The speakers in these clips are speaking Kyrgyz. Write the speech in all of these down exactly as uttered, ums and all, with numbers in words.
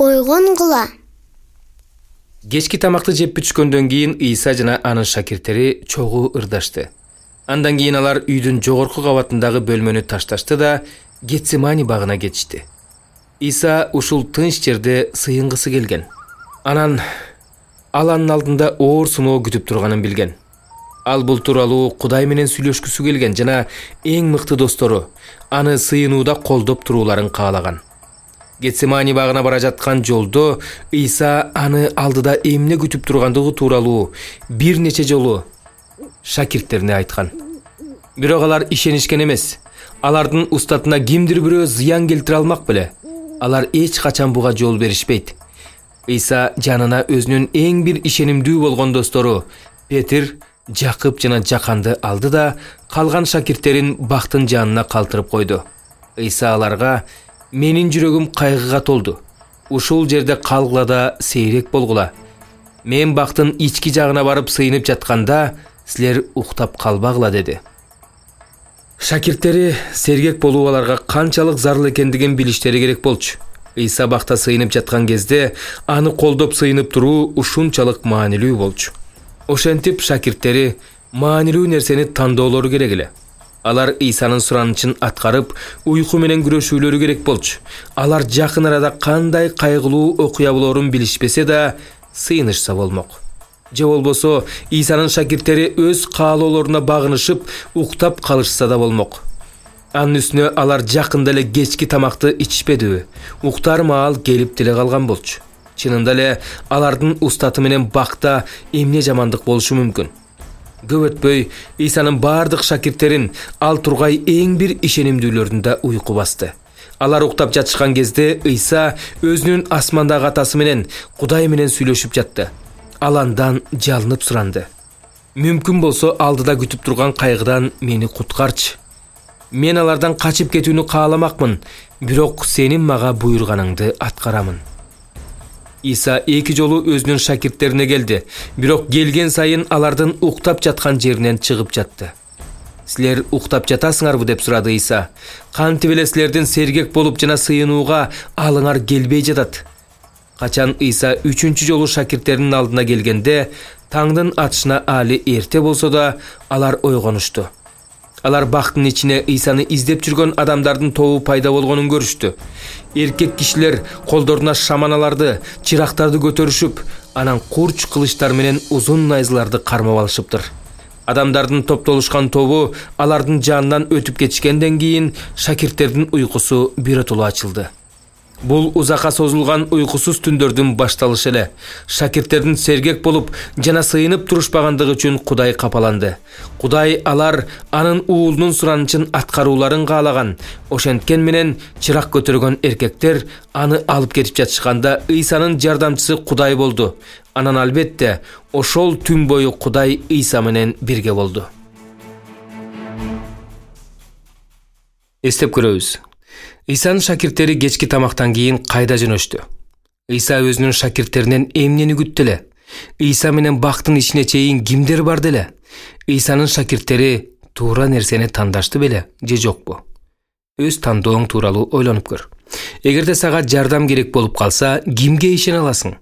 ойгонгула. Кечки тамакты жеп бүчкөндөн кийин Ыйса жана анын шакирттери чогуу ырдашты. Андан кийин алар үйдүн жогорку кабатындагы бөлмөнү ташташты да Гетсемани багына кетишти. Ыйса ушул тынч жерде сыйынгысы келген. Анан ал анын алдында оор сыноо күтүп турганын билген. Ал бул тууралуу Кудай менен сүйлөшкүсү келген жана эң мыкты достору аны сыйынууда колдоп турууларын каалаган. Гетсемани багына бара жаткан жолдо Ыйса аны алдыда эмне күтүп тургандыгы тууралуу бир нече жолу шакирттерине айткан. Бирок алар ишенишкен эмес. Алардын устатына кимдир бирөө зыян келтире алмак беле. Алар эч качан буга жол беришпейт. Ыйса жанына өзүнүн эң бир ишенимдүү болгон достору Петир, Жакып жана Жаканды алды да калган шакирттерин бактын жанына калтырып койду. Ыйса аларга: "Менин жүрөгүм кайгыга толду. Ушул жерде калгыла да сейрек болгула. Мен бактын ички жагына барып сыйынып жатканда, силер уктап калбагыла" деди. Шакирттери сергек болуу аларга канчалык зарыл экендигин билиштери керек болчу. Ыйса бакта сыйынып жаткан кезде аны колдоп сыйынып туруу ушунчалык маанилүү болчу. Ошентип шакирттери маанилүү нерсени тандоолору керек эле. Алар Ыйсанын суранычын аткарып, уйку менен күрөшүүлөрү керек болчу. Алар жакын арада кандай кайгылуу окуя болоорун билишпесе да, сыйынышса болмок. Же болбосо Ыйсанын шакирттери өз каалоолоруна багынышып, уктап калышса да болмок. Анын үстүнө алар жакында эле кечки тамакты ичишпедиби? Уктар маал келип деле калган болчу. Чынында эле алардын устаты менен бакта эмне жамандык болушу мүмкүн? Көп өтпөй Ыйсанын бардык шакирттерин ал тургай эң бир ишенимдүүлөрүндө уйку басты. Алар уктап жатышкан кезде Ыйса өзүнүн асмандагы атасы менен, Кудай менен сүйлөшүп жатты. Ал андан жалынып суранды: "Мүмкүн болсо алдыда күтүп турган кайгыдан мени куткарчы. Мен алардан качып кетүүнү кааламакмын, бирок сенин мага буйруганыңды аткарамын." Ыйса эки жолу өзүнүн шакирттерине келди, бирок келген сайын алардын уктап жаткан жеринен чыгып жатты. "Силер уктап жатасыңарбы?" деп сурады Ыйса. "Кантип эле силердин сергек болуп жана сыйынууга алыңар келбей жатат?" Качан Ыйса үчүнчү жолу шакирттеринин алдына келгенде, таңдын атышына али эрте болсо да, алар ойгонушту. Алар бактын ичине Ыйсаны издеп жүргөн адамдардын тобу пайда болгонун көрүштү. Эркек кишилер колдоруна шаманаларды, чырактарды көтөрүшүп, анан курч кылычтар менен узун найзаларды кармап алышыптыр. Адамдардын топтолушкан тобу алардын жанынан өтүп кетишкенден кийин шакирттердин уйкусу биротоло ачылды. Бул узакка созулган уйкусуз түндөрдүн башталышы эле. Шакирттердин сергек болуп жана сыйынып турушпагандыгы үчүн Кудай капаланды. Кудай алар анын уулунун суранычын аткарууларын каалаган. Ошенткен менен чырак көтөргөн эркектер аны алып кетип жатышканда Ыйсанын жардамчысы Кудай болду. Анан албетте ошол түн бою Кудай Ыйса менен бирге болду. Эстеп көрөбүз. Ыйсанын шакирттери кечки тамактан кийин кайда жөнөштү? Ыйса өзүнүн шакирттеринен эмнени күттү эле? Ыйса менен бактын ичине чейин кимдер барды эле? Ыйсанын шакирттери туура нерсени тандашты беле же жокпу? Өз тандооң тууралуу ойлонуп көр. Эгерде сага жардам керек болуп калса, кимге ишене аласың?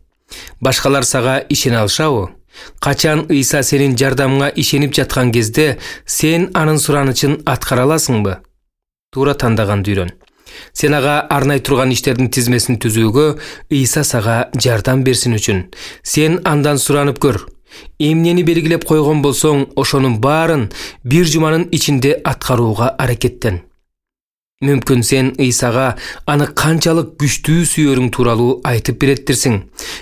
Башкалар сага ишене алышабы? Качан Ыйса сенин жардамыңа ишенип жаткан кезде, сен анын суранычын аткара аласыңбы? Туура тандаганды үйрөн. Сен ага арнай турган иштердин тизмесин түзүүгө Ыйса сага жардам берсин үчүн сен андан суранып көр. Эмнени белгилеп койгон болсоң, ошонун баарын бир жуманын ичинде аткарууга аракеттен. Мүмкүн сен Ыйсага аны канчалык күчтүү сүйөрүң тууралуу айтып береттирсиң.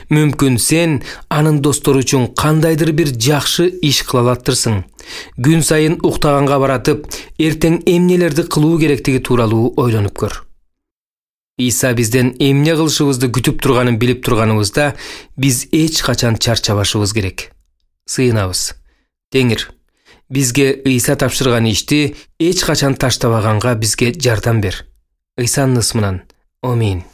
Мүмкүн сен анын достору үчүн кандайдыр бир жакшы иш кыла алаттырсың. Күн сайын уктаганга баратып, эртең эмнелерди кылуу керектиги тууралуу ойлонуп көр. Ыйса бизден эмне кылышыбызды күтүп турганын билип турганыбызда, биз эч качан чарчабашыбыз керек. Сыйынабыз. Теңир, бизге Ыйса тапшырган ишти эч качан таштабаганга бизге жардам бер. Ыйсанын ысмынан. Амин.